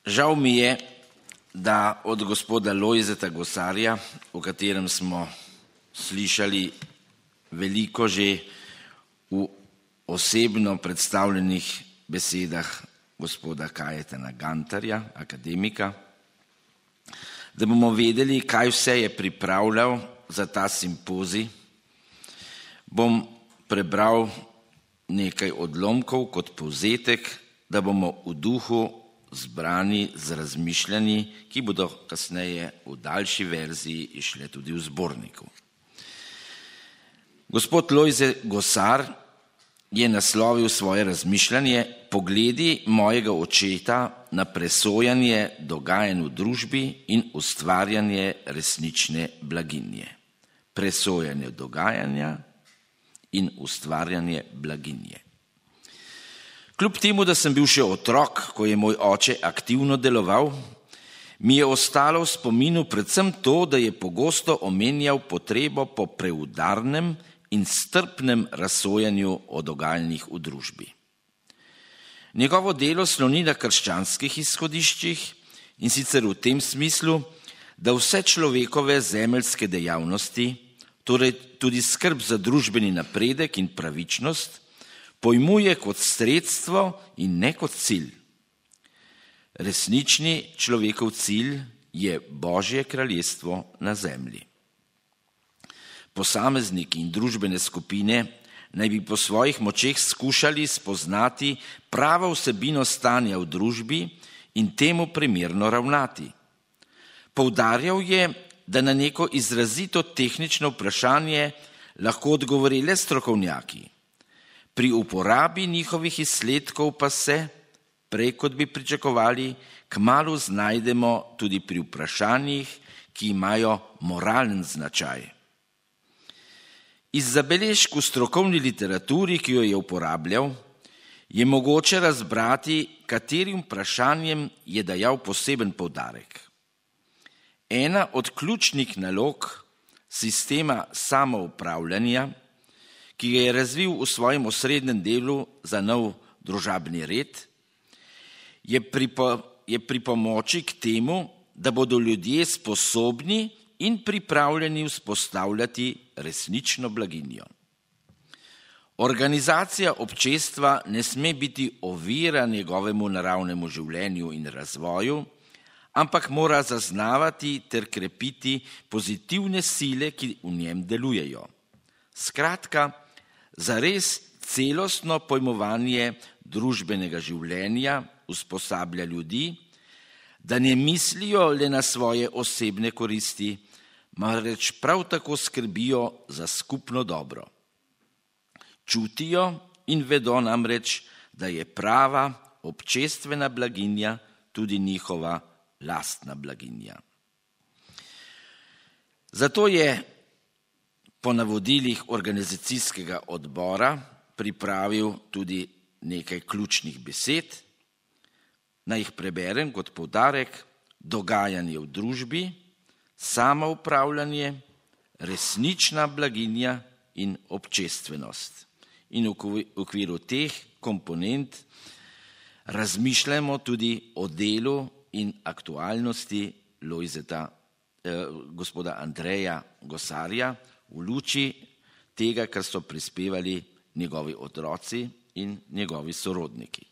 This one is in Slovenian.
Žal mi je, da od gospoda Lojzeta Gosarja, o katerem smo slišali veliko že v osebno predstavljenih besedah gospoda Kajetana Gantarja, akademika, da bomo vedeli, kaj vse je pripravljal za ta simpozij, bom prebral nekaj odlomkov kot povzetek, da bomo v duhu zbrani z razmišljanji, ki bodo kasneje v daljši verziji išle tudi v zborniku. Gospod Lojze Gosar je naslovil svoje razmišljanje Pogledi mojega očeta na presojanje dogajanj v družbi in ustvarjanje resnične blaginje. Presojanje dogajanja in ustvarjanje blaginje. Kljub temu, da sem bil še otrok, ko je moj oče aktivno deloval, mi je ostalo v spominu predvsem to, da je pogosto omenjal potrebo po preudarnem in strpnem razsojanju o dogajanjih v družbi. Njegovo delo sloni na krščanskih izhodiščih in sicer v tem smislu, da vse človekove zemeljske dejavnosti, torej tudi skrb za družbeni napredek in pravičnost, pojmuje kot sredstvo in ne kot cilj. Resnični človekov cilj je Božje kraljestvo na zemlji. Posamezniki in družbene skupine naj bi po svojih močeh skušali spoznati pravo vsebino stanja v družbi in temu primerno ravnati. Poudarjal je, da na neko izrazito tehnično vprašanje lahko odgovori le strokovnjaki. Pri uporabi njihovih izsledkov pa se, prej kot bi pričakovali, kmalu znajdemo tudi pri vprašanjih, ki imajo moralen značaj. Iz zabeležk v strokovni literaturi, ki jo je uporabljal, je mogoče razbrati, katerim vprašanjem je dajal poseben poudarek. Ena od ključnih nalog sistema samoupravljanja, ki ga je razvil v svojem osrednjem delu za nov družabni red, je pri pomoči k temu, da bodo ljudje sposobni in pripravljeni vzpostavljati resnično blaginjo. Organizacija občestva ne sme biti ovira njegovemu naravnemu življenju in razvoju, ampak mora zaznavati ter krepiti pozitivne sile, ki v njem delujejo. Skratka, zares celostno pojmovanje družbenega življenja usposablja ljudi, da ne mislijo le na svoje osebne koristi, marveč prav tako skrbijo za skupno dobro. Čutijo in vedo namreč, da je prava občestvena blaginja tudi njihova lastna blaginja. Zato je po navodilih organizacijskega odbora pripravil tudi nekaj ključnih besed. Naj jih preberem kot poudarek: dogajanje v družbi, samoupravljanje, resnična blaginja in občestvenost. In v okviru teh komponent razmišljamo tudi o delu in aktualnosti gospoda Andreja Gosarja v luči tega, kar so prispevali njegovi otroci in njegovi sorodniki.